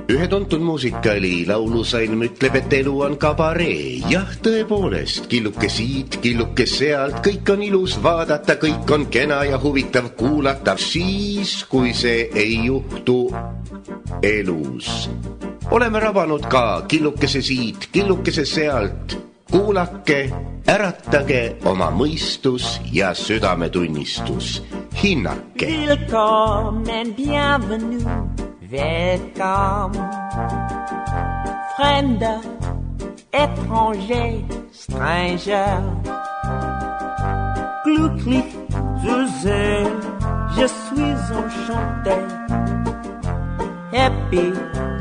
Ühe tuntud muusikali laulusalm ütleb, et elu on kabaree. Jah, tõepoolest, killuke siit, killuke sealt, kõik on ilus vaadata, kõik on kena ja huvitav kuulata. Siis, kui see ei juhtu elus. Oleme rabanud ka killukese siit, killukese sealt. Kuulake, äratage oma mõistus ja südametunnistus. Hinnake. Willkommen, bienvenue. Welcome, Fremder, étranger, stranger. Glücklich zu sehen, je suis enchanté. Happy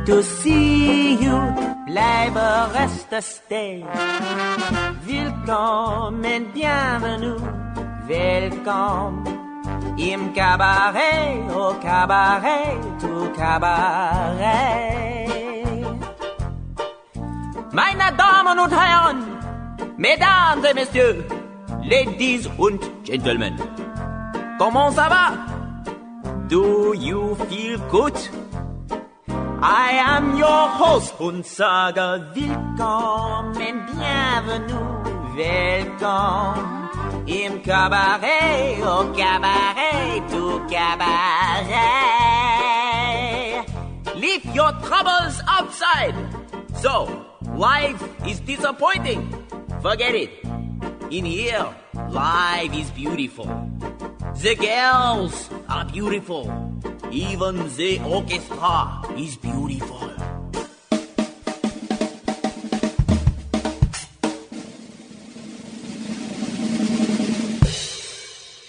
to see you, bleibe, reste, stay. Willkommen, bienvenue, welcome. Im Cabaret, au Cabaret, tout Cabaret. Meine Damen und Herren, Mesdames et Messieurs, Ladies und Gentlemen, comment ça va? Do you feel good? I am your host und sage willkommen, bienvenue, welcome. Im Cabaret, au Cabaret, tout Cabaret. Leave your troubles outside. So, life is disappointing. Forget it. In here, life is beautiful. The girls are beautiful. Even the orchestra is beautiful.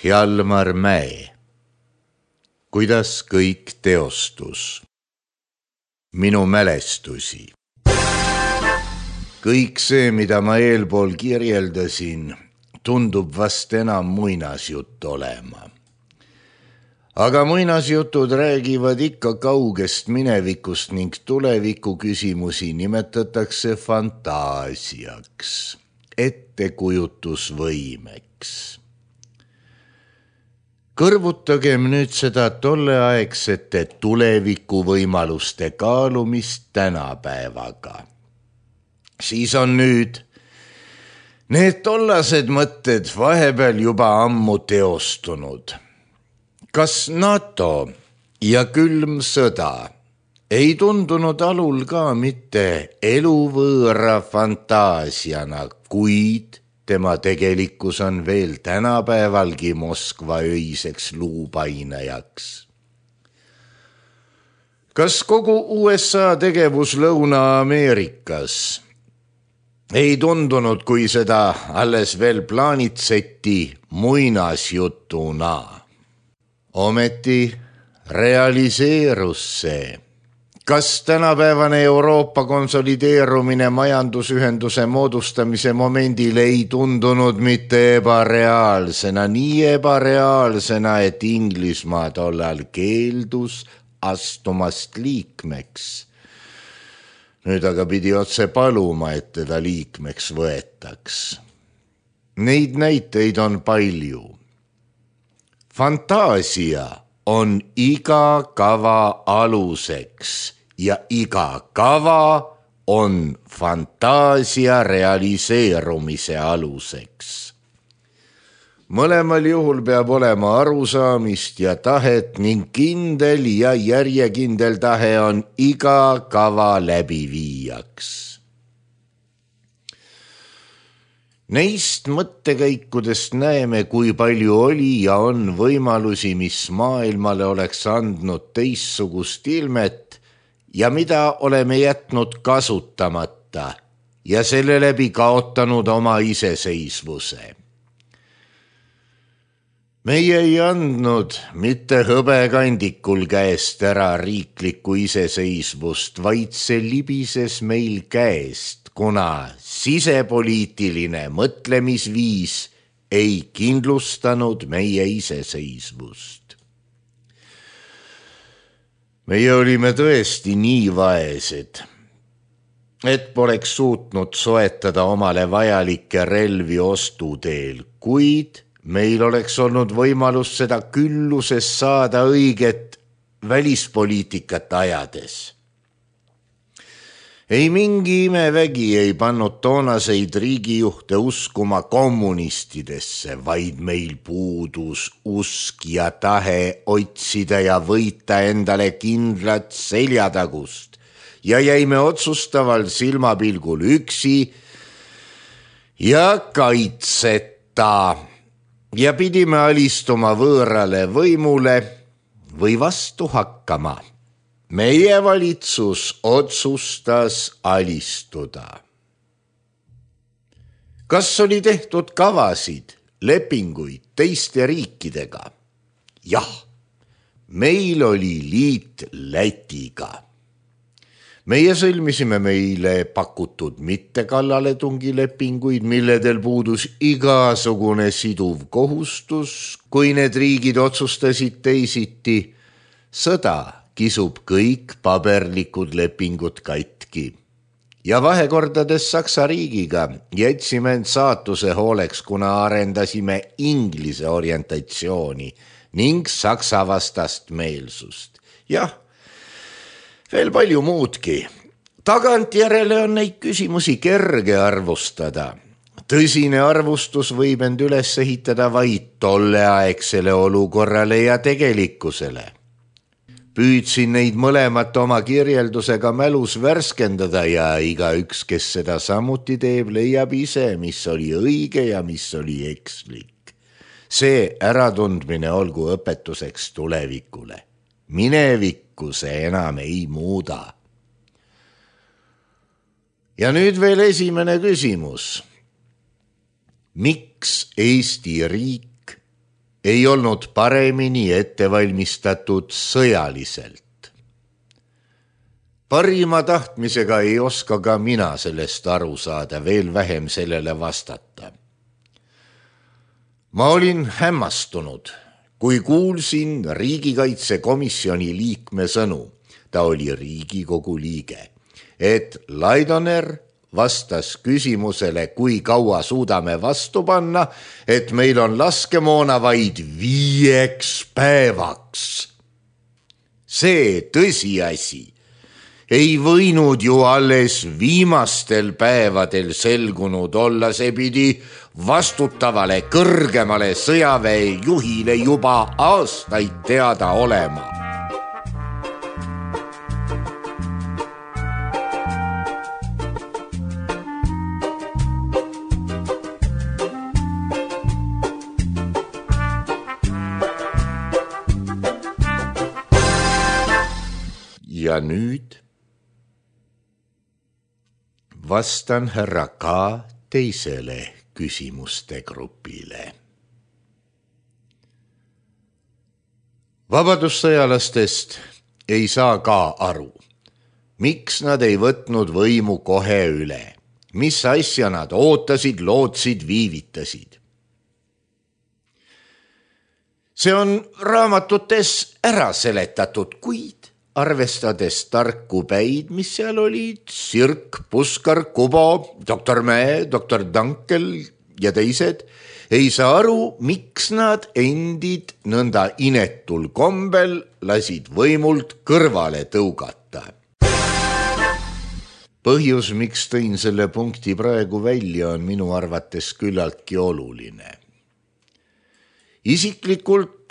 Hjalmar Mäe. Kuidas kõik teostus? Minu mälestusi. Kõik see, mida ma eelpool kirjeldasin, tundub vast enam muinasjutt olema. Aga muinasjutud räägivad ikka kaugest minevikust ning tuleviku küsimusi nimetatakse fantaasiaks, ettekujutusvõimeks. Kõrvutagem nüüd seda tolleaegsete tuleviku võimaluste kaalumist tänapäevaga. Siis on nüüd need tollased mõtted vahepeal juba ammu teostunud. Kas NATO ja külm sõda ei tundunud alul ka mitte eluvõõra fantaasiana, kuid tema tegelikkus on veel tänapäevalgi Moskva öiseks luupainajaks. Kas kogu USA tegevus Lõuna-Ameerikas ei tundunud, kui seda alles veel plaanitseti, muinasjutuna? Ometi realiseerus see. Kas tänapäevane Euroopa konsolideerumine majandusühenduse moodustamise momendil ei tundunud mitte ebareaalsena, nii ebareaalsena, et Inglismaa tollal keeldus astumast liikmeks. Nüüd aga pidi otse paluma, et teda liikmeks võetaks. Neid näiteid on palju. Fantaasia on iga kava aluseks ja iga kava on fantaasia realiseerumise aluseks. Mõlemal juhul peab olema arusaamist ja tahet ning kindel ja järjekindel tahe on iga kava läbiviijaks. Neist mõttekäikudest näeme, kui palju oli ja on võimalusi, mis maailmale oleks andnud teissugust ilmet ja mida oleme jätnud kasutamata ja selle läbi kaotanud oma iseseisvuse. Meie ei andnud mitte hõbekandikul käest ära riiklikku iseseisvust, vaid see libises meil käest, kuna sisepoliitiline mõtlemisviis ei kindlustanud meie iseseisvust. Meie olime tõesti nii vaesed, et poleks suutnud soetada omale vajalikke relvi ostuteel, kuid meil oleks olnud võimalus seda külluses saada õiget välispoliitikat ajades. Ei mingi imevägi ei pannud toonaseid riigijuhte uskuma kommunistidesse, vaid meil puudus usk ja tahe otsida ja võita endale kindlat seljatagust ja jäime otsustaval silmapilgul üksi ja kaitseta ja pidime alistuma võõrale võimule või vastu hakkama. Meie valitsus otsustas alistuda. Kas oli tehtud kavasid, lepinguid teiste riikidega? Jah, meil oli liit Lätiga. Meie sõlmisime meile pakutud mittekallaletungilepinguid, milledel puudus igasugune siduv kohustus, kui need riigid otsustasid teisiti. Sõda kisub kõik paberlikud lepingud katki. Ja vahekordades Saksa riigiga jätsime end saatuse hooleks, kuna arendasime inglise orientatsiooni ning Saksa vastast meelsust. Jah, veel palju muudki. Tagantjärele on neid küsimusi kerge arvustada. Tõsine arvustus võib end üles ehitada vaid tolleaegsele olukorrale ja tegelikkusele. Püüdsin neid mõlemat oma kirjeldusega mälus värskendada ja igaüks, kes seda samuti teeb, leiab ise, mis oli õige ja mis oli ekslik. See äratundmine olgu õpetuseks tulevikule. Minevikku see enam ei muuda. Ja nüüd veel esimene küsimus. Miks Eesti riik ei olnud paremini ettevalmistatud sõjaliselt? Parima tahtmisega ei oska ka mina sellest aru saada, veel vähem sellele vastata. Ma olin hämmastunud, kui kuulsin riigikaitsekomisjoni liikme sõnu, ta oli Riigikogu liige, et Laidoner vastas küsimusele, kui kaua suudame vastu panna, et meil on laskemoona vaid 5 päevaks. See tõsiasi ei võinud ju alles viimastel päevadel selgunud olla, see pidi vastutavale kõrgemale sõjaväe juhile juba aastaid teada olema. Ja nüüd vastan härra K. teisele küsimuste grupile. Vabadussõjalastest ei saa ka aru, miks nad ei võtnud võimu kohe üle, mis asja nad ootasid, lootsid, viivitasid. See on raamatutes ära seletatud, kuid arvestades tarku päid, mis seal olid, Sirk, Puskar, Kubo, doktor Mäe, doktor Dankel ja teised, ei saa aru, miks nad endid nõnda inetul kombel lasid võimult kõrvale tõugata. Põhjus, miks tõin selle punkti praegu välja, on minu arvates küllaltki oluline. Isiklikult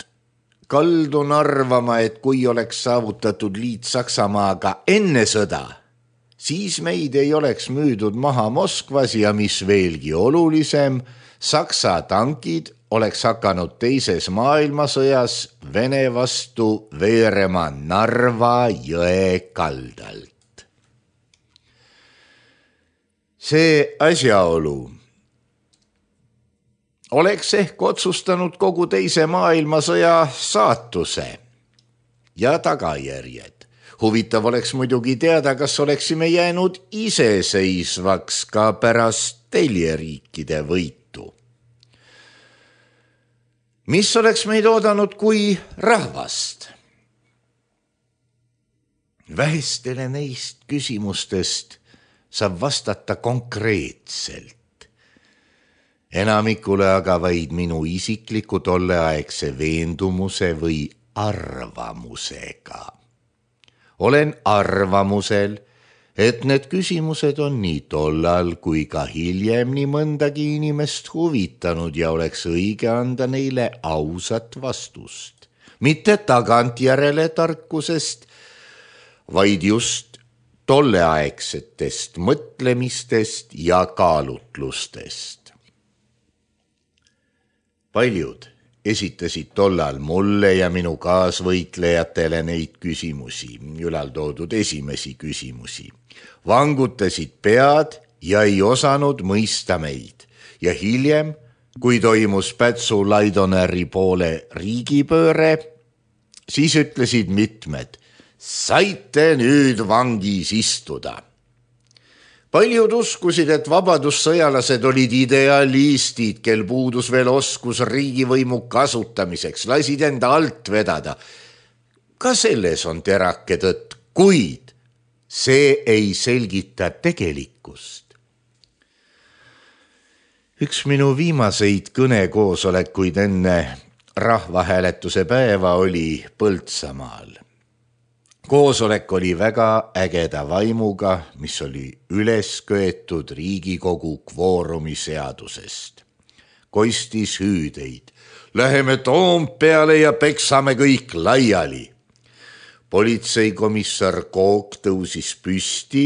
kaldun arvama, et kui oleks saavutatud liit Saksamaaga enne sõda, siis meid ei oleks müüdud maha Moskvas ja mis veelgi olulisem, Saksa tankid oleks hakanud teises maailmasõjas Vene vastu veerema Narva jõe kaldalt. See asjaolu oleks ehk otsustanud kogu teise maailmasõja saatuse ja tagajärjed. Huvitav oleks muidugi teada, kas oleksime jäänud iseseisvaks ka pärast teljeriikide võitu. Mis oleks meid oodanud kui rahvast? Vähestele neist küsimustest saab vastata konkreetselt. Enamikule aga vaid minu isikliku tolleaegse veendumuse või arvamusega. Olen arvamusel, et need küsimused on nii tollal kui ka hiljem nii mõndagi inimest huvitanud ja oleks õige anda neile ausat vastust. Mitte tagantjärele tarkusest, vaid just tolleaegsetest mõtlemistest ja kaalutlustest. Paljud esitasid tollal mulle ja minu kaasvõitlejatele neid küsimusi, ülaltoodud esimesi küsimusi. Vangutasid pead ja ei osanud mõista meid. Ja hiljem, kui toimus Pätsu Laidoneri poole riigipööre, siis ütlesid mitmed, saite nüüd vangis istuda. Paljud uskusid, et vabadussõjalased olid idealistid, kel puudus veel oskus riigivõimu kasutamiseks, lasid enda alt vedada. Ka selles on terake tõtt, kuid see ei selgita tegelikkust. Üks minu viimaseid kõnekoosolekuid enne rahvahääletuse päeva oli Põltsamaal. Koosolek oli väga ägeda vaimuga, mis oli üles köetud Riigikogu kvoorumi seadusest. Kostis hüüdeid. Läheme Toompeale ja peksame kõik laiali. Politseikomissar Kook tõusis püsti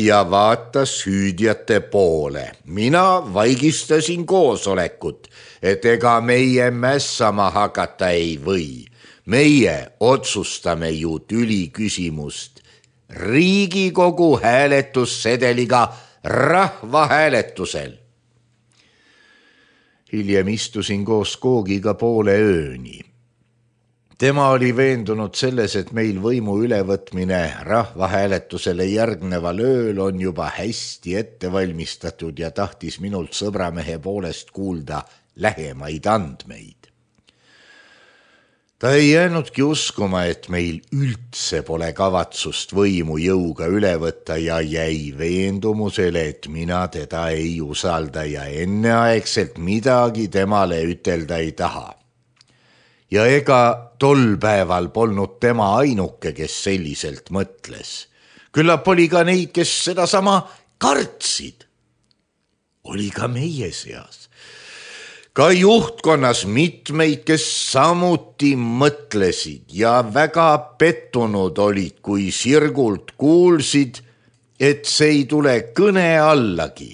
ja vaatas hüüdjate poole. Mina vaigistasin koosolekut, et ega meie mässama hakata ei või. Meie otsustame ju tüli küsimust Riigikogu hääletussedeliga rahvahääletusel. Hiljem istusin koos Koogiga poole ööni. Tema oli veendunud selles, et meil võimu ülevõtmine rahvahääletusele järgneval ööl on juba hästi ette valmistatud ja tahtis minult sõbramehe poolest kuulda lähemaid andmeid. Ta ei jäänudki uskuma, et meil üldse pole kavatsust võimu jõuga üle võtta ja jäi veendumusele, et mina teda ei usalda ja enneaegselt midagi temale ütelda ei taha. Ja ega tol päeval polnud tema ainuke, kes selliselt mõtles. Küllap oli ka neid, kes sedasama kartsid. Oli ka meie seas. Ka juhtkonnas mitmeid, kes samuti mõtlesid ja väga pettunud olid, kui sirgult kuulsid, et see ei tule kõne allagi.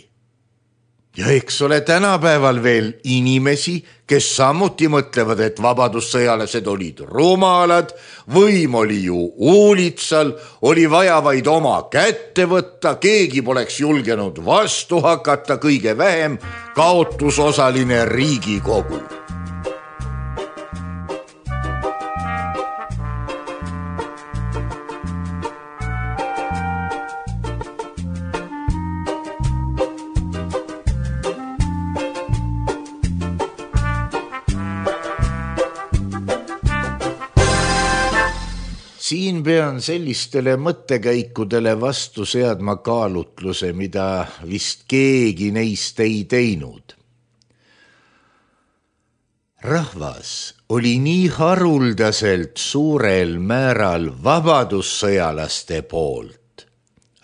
Ja eks ole tänapäeval veel inimesi, kes samuti mõtlevad, et vabadussõjalased olid rumalad, võim oli ju uulitsal, oli vaja vaid oma kätte võtta, keegi poleks julgenud vastu hakata, kõige vähem kaotusosaline Riigikogu. Siin pean sellistele mõttekäikudele vastu seadma kaalutluse, mida vist keegi neist ei teinud. Rahvas oli nii haruldaselt suurel määral vabadussõjalaste poolt.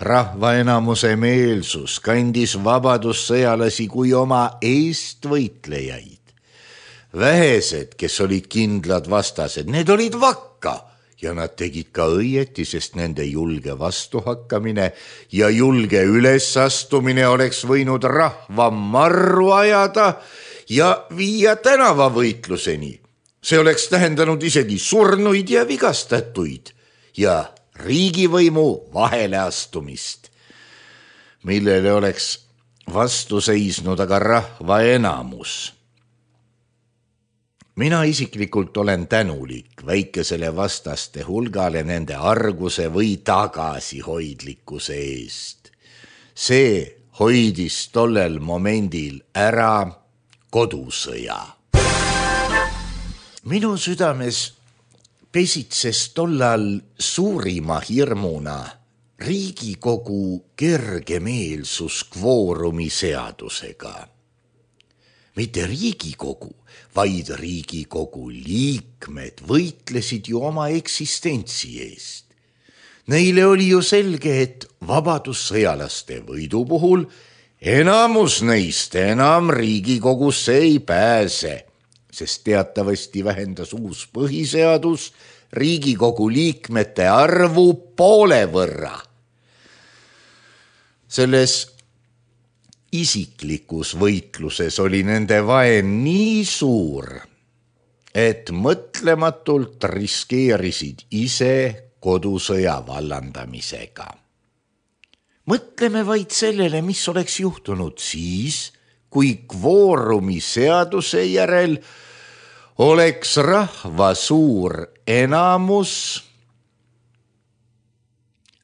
Rahva enamuse meelsus kandis vabadussõjalasi kui oma eestvõitlejaid. Vähesed, kes olid kindlad vastased, need olid vakka. Ja nad tegid ka õieti, sest nende julge vastuhakkamine ja julge ülesastumine oleks võinud rahva marru ajada ja viia tänavavõitluseni. See oleks tähendanud isegi surnuid ja vigastatuid ja riigivõimu vaheleastumist, millele oleks vastu seisnud aga rahva enamus. Mina isiklikult olen tänulik väikesele vastaste hulgale nende arguse või tagasihoidlikkuse eest. See hoidis tollel momendil ära kodusõja. Minu südames pesitses tollal suurima hirmuna Riigikogu kergemeelsus kvoorumi seadusega. mitte Riigikogu, vaid Riigikogu liikmed võitlesid ju oma eksistentsi eest. Neile oli ju selge, et vabadussõjalaste võidu puhul enamus neist enam Riigikogusse ei pääse, sest teatavasti vähendas uus põhiseadus Riigikogu liikmete arvu poole võrra. Selles isiklikus võitluses oli nende vaen nii suur, et mõtlematult riskeerisid ise kodusõja vallandamisega. Mõtleme vaid sellele, mis oleks juhtunud siis, kui kvoorumi seaduse järel oleks rahva suur enamus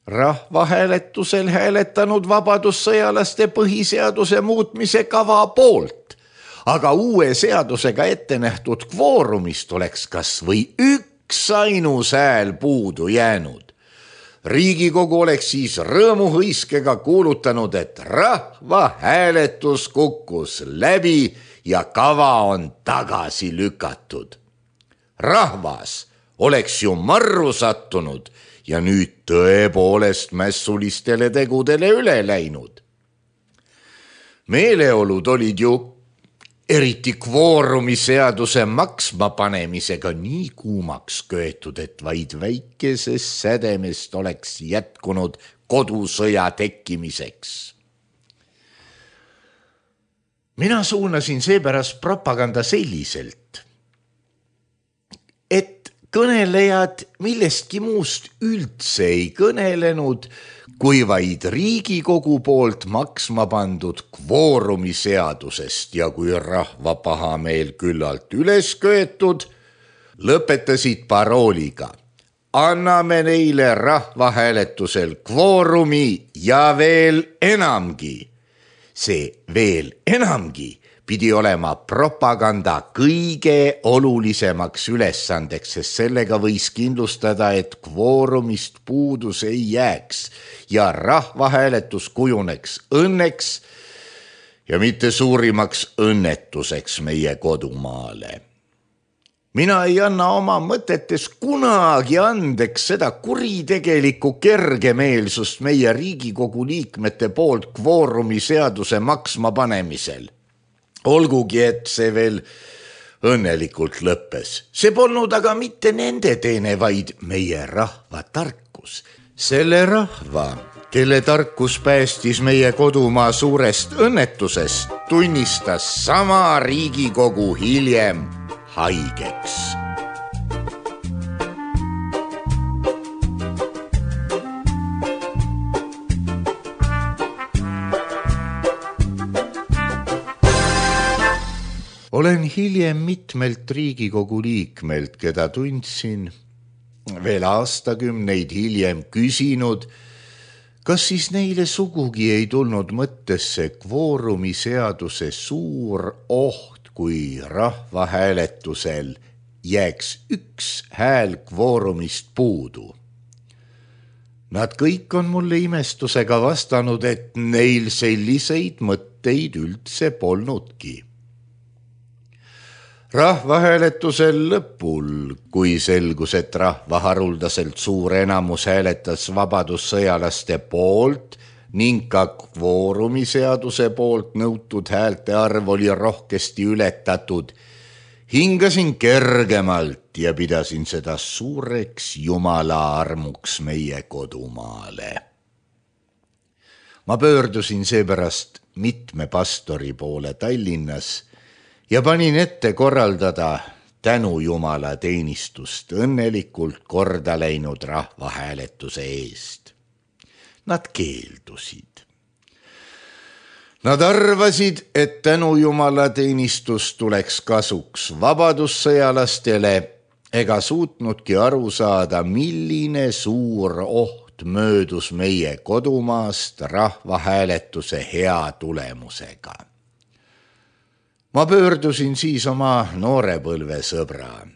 rahvahääletusel hääletanud vabadussõjalaste põhiseaduse muutmise kava poolt, aga uue seadusega ette nähtud kvoorumist oleks kas või üks ainus hääl puudu jäänud. Riigikogu oleks siis rõõmuhõiskega kuulutanud, et rahvahääletus kukkus läbi ja kava on tagasi lükatud. Rahvas oleks ju marru sattunud ja nüüd tõepoolest mässulistele tegudele üle läinud. Meeleolud olid ju eriti kvoorumi seaduse maksma panemisega nii kuumaks köetud, et vaid väikesest sädemest oleks jätkunud kodusõja tekkimiseks. Mina suunasin seepärast propaganda selliselt, et kõnelejad millestki muust üldse ei kõnelenud, kui vaid Riigikogu poolt maksma pandud kvoorumi seadusest ja kui rahva pahameel küllalt üles köetud, lõpetasid parooliga: anname neile rahvahääletusel kvoorumi ja veel enamgi. See veel enamgi pidi olema propaganda kõige olulisemaks ülesandeks, sest sellega võis kindlustada, et kvoorumist puudus ei jääks ja rahvahääletus kujuneks õnneks ja mitte suurimaks õnnetuseks meie kodumaale. Mina ei anna oma mõtetes kunagi andeks seda kuritegelikku kergemeelsust meie Riigikogu liikmete poolt kvoorumi seaduse maksma panemisel. Olgugi, et see veel õnnelikult lõppes. See polnud aga mitte nende teene, vaid meie rahva tarkus. Selle rahva, kelle tarkus päästis meie kodumaa suurest õnnetusest, tunnistas sama Riigikogu hiljem haigeks. Olen hiljem mitmelt Riigikogu liikmelt, keda tundsin, veel aastakümneid hiljem küsinud, kas siis neile sugugi ei tulnud mõttesse kvoorumi seaduse suur oht, kui rahvahääletusel jääks üks hääl kvoorumist puudu. Nad kõik on mulle imestusega vastanud, et neil selliseid mõtteid üldse polnudki. Rahvahääletusel lõpul, kui selgus, et rahva haruldaselt suur enamus hääletas vabadussõjalaste poolt ning ka kvoorumi seaduse poolt nõutud häälte arv oli rohkesti ületatud, hingasin kergemalt ja pidasin seda suureks Jumala armuks meie kodumaale. Ma pöördusin seepärast mitme pastori poole Tallinnas ja panin ette korraldada tänu Jumala teenistust õnnelikult korda läinud rahvahääletuse eest. Nad keeldusid. Nad arvasid, et tänu Jumala teenistus tuleks kasuks vabadussõjalastele ega suutnudki aru saada, milline suur oht möödus meie kodumaast rahvahääletuse hea tulemusega. Ma pöördusin siis oma noorepõlve sõbra,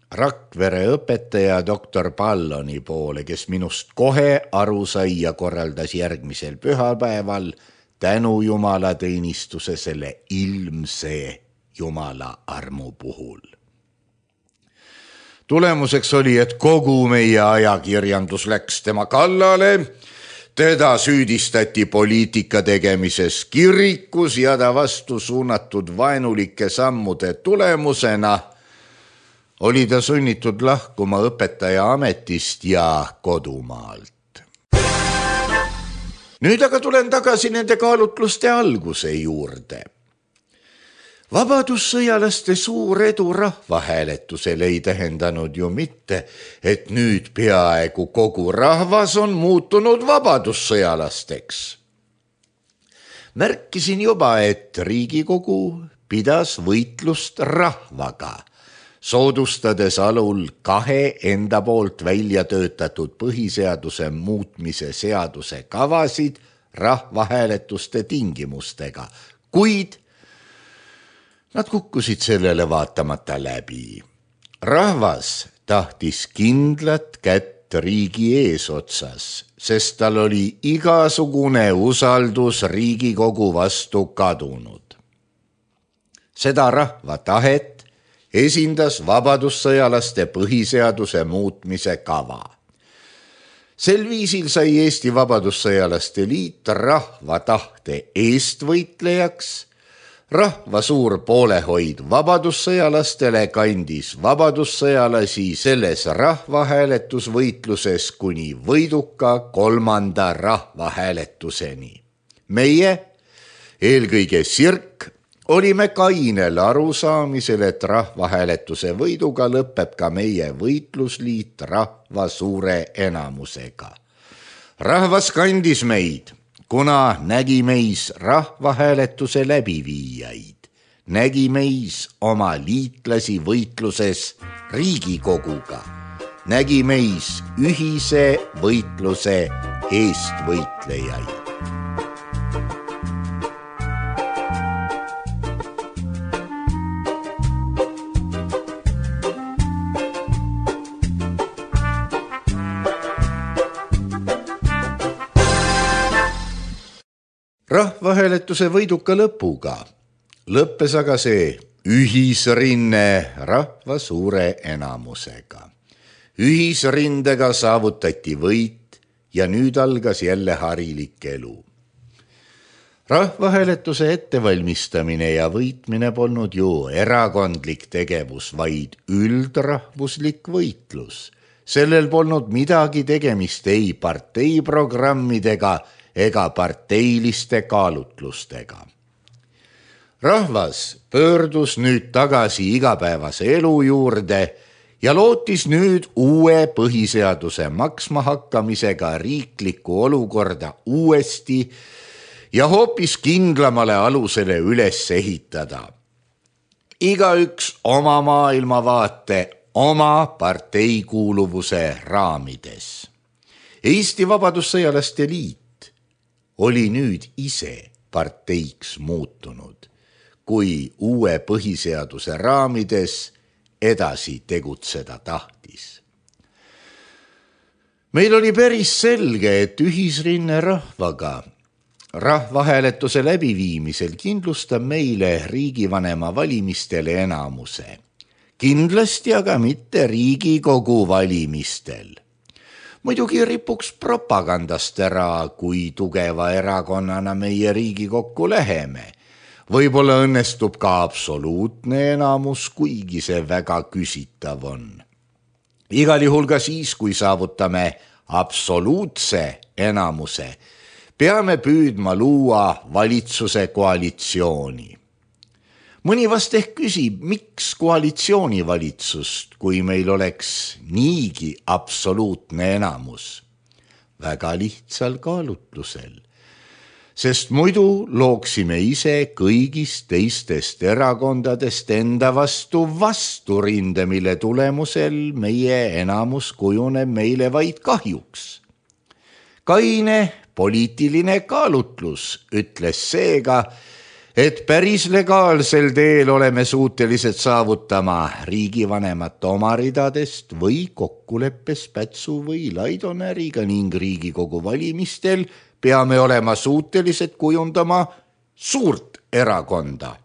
Rakvere õpetaja doktor Palloni poole, kes minust kohe aru sai ja korraldas järgmisel pühapäeval tänu Jumala teenistuse selle ilmse Jumala armu puhul. Tulemuseks oli, et kogu meie ajakirjandus läks tema kallale, teda süüdistati poliitika tegemises kirikus ja ta vastu suunatud vaenulike sammude tulemusena oli ta sunnitud lahkuma õpetaja ametist ja kodumaalt. Nüüd aga tulen tagasi nende kaalutluste alguse juurde. Vabadussõjalaste suur edu rahvahääletusel ei tähendanud ju mitte, et nüüd peaaegu kogu rahvas on muutunud vabadussõjalasteks. Märkisin juba, et Riigikogu pidas võitlust rahvaga, soodustades alul 2 enda poolt välja töötatud põhiseaduse muutmise seaduse kavasid rahvahääletuste tingimustega, kuid nad kukkusid sellele vaatamata läbi. Rahvas tahtis kindlat kätt riigi eesotsas, sest tal oli igasugune usaldus Riigikogu vastu kadunud. Seda rahva tahet esindas vabadussõjalaste põhiseaduse muutmise kava. Sel viisil sai Eesti Vabadussõjalaste Liit rahva tahte eestvõitlejaks. Rahva suur poolehoid vabadussõjalastele kandis vabadussõjalasi selles rahvahääletusvõitluses kuni võiduka 3. rahvahääletuseni. Meie, eelkõige Sirk, olime kainel arusaamisel, et rahvahääletuse võiduga lõpeb ka meie võitlusliit rahva suure enamusega. Rahvas kandis meid, kuna nägi meis rahvahääletuse läbiviijaid, nägi meis oma liitlasi võitluses Riigikoguga, nägi meis ühise võitluse eestvõitlejaid. Rahvahääletuse võiduka lõpuga lõppes aga see ühisrinne rahva suure enamusega. Ühisrindega saavutati võit ja nüüd algas jälle harilik elu. Rahvahääletuse ettevalmistamine ja võitmine polnud ju erakondlik tegevus, vaid üldrahvuslik võitlus. Sellel polnud midagi tegemist ei parteiprogrammidega ega parteiliste kaalutlustega. Rahvas pöördus nüüd tagasi igapäevase elu juurde ja lootis nüüd uue põhiseaduse maksma hakkamisega riiklikku olukorda uuesti ja hoopis kindlamale alusele üles ehitada. Igaüks oma maailmavaate, oma parteikuuluvuse raamides. Eesti Vabadussõjalaste Liit oli nüüd ise parteiks muutunud, kui uue põhiseaduse raamides edasi tegutseda tahtis. Meil oli päris selge, et ühisrinne rahvaga rahvahääletuse läbiviimisel kindlustab meile riigivanema valimistele enamuse. Kindlasti aga mitte Riigikogu valimistel. Muidugi ripuks propagandast ära, kui tugeva erakonnana meie Riigikokku läheme. Võib-olla õnnestub ka absoluutne enamus, kuigi see väga küsitav on. Igal juhul ka siis, kui saavutame absoluutse enamuse, peame püüdma luua valitsuse koalitsiooni. Mõni vast ehk küsib, miks koalitsioonivalitsust, kui meil oleks niigi absoluutne enamus? Väga lihtsal kaalutlusel, sest muidu looksime ise kõigist teistest erakondadest enda vasturinde, mille tulemusel meie enamus kujuneb meile vaid kahjuks. Kaine poliitiline kaalutlus ütles seega, et päris legaalsel teel oleme suutelised saavutama riigivanemat oma ridadest või kokkuleppes Pätsu või Laidonäriga ning Riigikogu valimistel peame olema suutelised kujundama suurt erakonda.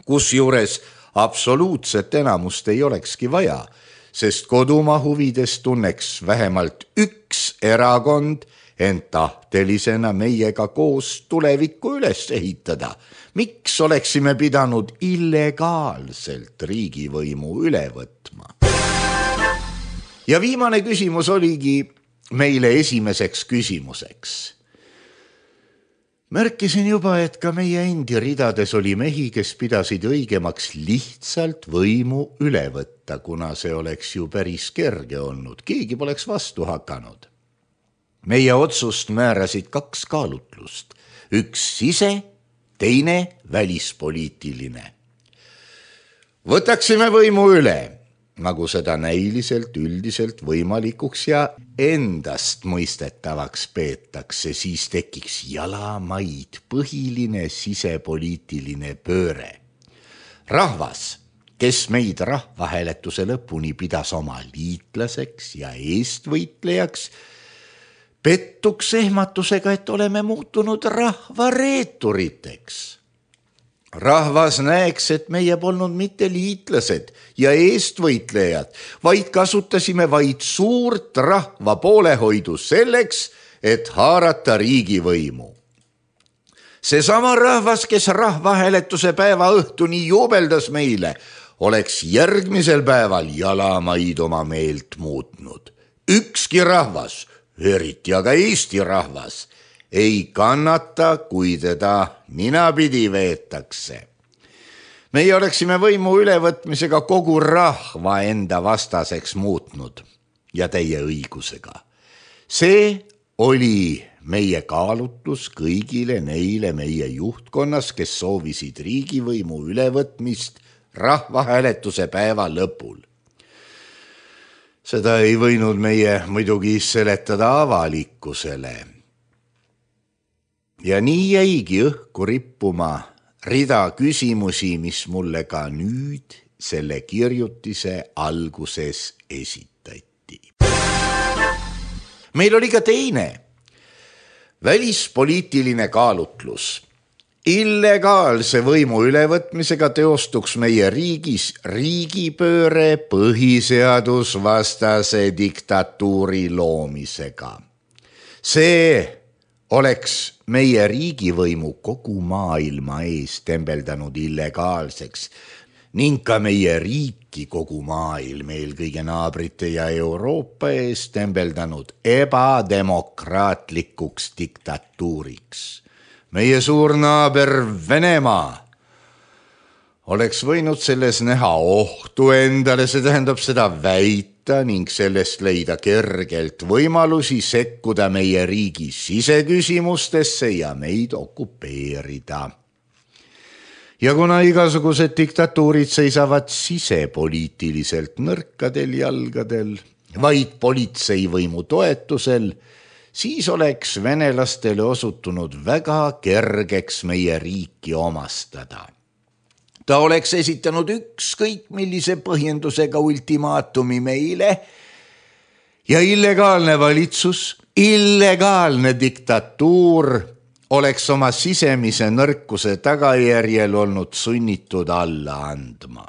kusjuures absoluutset enamust ei olekski vaja, sest kodumaa huvides tunneks vähemalt üks erakond ent tahtelisena meiega koos tulevikku üles ehitada. Miks oleksime pidanud illegaalselt riigivõimu üle võtma? Ja viimane küsimus oligi meile esimeseks küsimuseks. Märkisin juba, et ka meie endi ridades oli mehi, kes pidasid õigemaks lihtsalt võimu üle võtta, kuna see oleks ju päris kerge olnud. Keegi poleks vastu hakanud. Meie otsust määrasid 2 kaalutlust. Üks sise, teine välispoliitiline. Võtaksime võimu üle, nagu seda näiliselt üldiselt võimalikuks ja endast mõistetavaks peetakse, siis tekiks jalamaid põhiline sisepoliitiline pööre. Rahvas, kes meid rahvahääletuse lõpuni pidas oma liitlaseks ja eestvõitlejaks, pettuks ehmatusega, et oleme muutunud rahvareeturiteks. Rahvas näeks, et meie polnud mitte liitlased ja eestvõitlejad, vaid kasutasime vaid suurt rahva poolehoidu selleks, et haarata riigivõimu. Seesama rahvas, kes rahvahääletuse päeva õhtuni jubeldas meile, oleks järgmisel päeval jalamaid oma meelt muutnud. Ükski rahvas, eriti aga Eesti rahvas, ei kannata, kui teda ninapidi veetakse. Meie oleksime võimu ülevõtmisega kogu rahva enda vastaseks muutnud ja täie õigusega. See oli meie kaalutlus kõigile neile meie juhtkonnas, kes soovisid riigivõimu ülevõtmist rahvahääletuse päeva lõpul. Seda ei võinud meie muidugi seletada avalikkusele. Ja nii jäigi õhku rippuma rida küsimusi, mis mulle ka nüüd selle kirjutise alguses esitati. Meil oli ka teine välispoliitiline kaalutlus. Illegaalse võimu ülevõtmisega teostuks meie riigis riigipööre põhiseadusvastase diktatuuri loomisega. See oleks meie riigivõimu kogu maailma ees tembeldanud illegaalseks ning ka meie riiki kogu maailm, eelkõige naabrite ja Euroopa ees tembeldanud ebademokraatlikuks diktatuuriks. Meie suur naaber Venemaa oleks võinud selles näha ohtu endale, see tähendab seda väita ning sellest leida kergelt võimalusi sekkuda meie riigi siseküsimustesse ja meid okupeerida. Ja kuna igasugused diktatuurid seisavad sisepoliitiliselt nõrkadel jalgadel, vaid politseivõimu toetusel, siis oleks venelastele osutunud väga kergeks meie riiki omastada. Ta oleks esitanud ükskõik millise põhjendusega ultimaatumi meile ja illegaalne valitsus, illegaalne diktatuur oleks oma sisemise nõrkuse tagajärjel olnud sunnitud alla andma.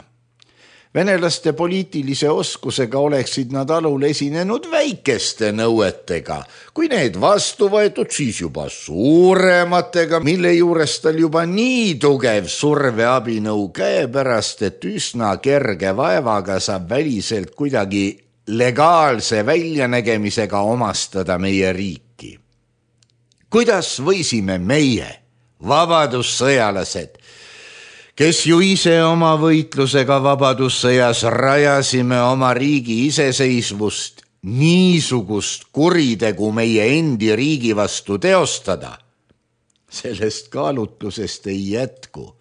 Venelaste poliitilise oskusega oleksid nad alul esinenud väikeste nõuetega, kui need vastu võetud, siis juba suurematega, mille juures tal juba nii tugev surveabinõu käepärast, et üsna kerge vaevaga saab väliselt kuidagi legaalse väljanägemisega omastada meie riiki. Kuidas võisime meie, vabadussõjalased, kes ju ise oma võitlusega vabadussõjas rajasime oma riigi iseseisvust, niisugust kuritegu meie endi riigi vastu teostada? Sellest kaalutlusest ei jätku,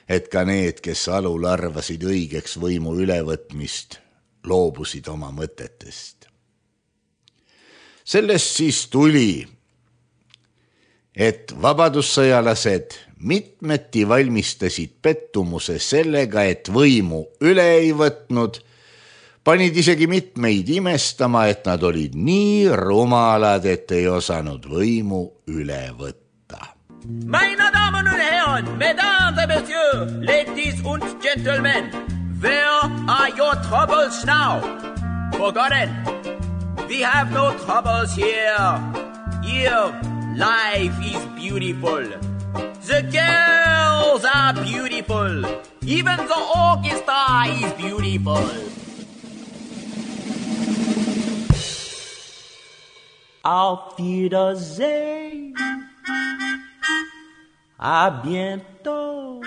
et ka need, kes alul arvasid õigeks võimu ülevõtmist, loobusid oma mõtetest. Sellest siis tuli, et vabadussõjalased mitmeti valmistasid pettumuse sellega, et võimu üle ei võtnud, panid isegi mitmeid imestama, et nad olid nii rumalad, et ei osanud võimu üle võtta. Meine Damen und Herren, Mesdames et Messieurs, Ladies und Gentlemen, where are your troubles now? Forgotten. We have no troubles here. Here, life is beautiful. The girls are beautiful. Even the orchestra is beautiful. Auf Wiedersehen. À bientôt.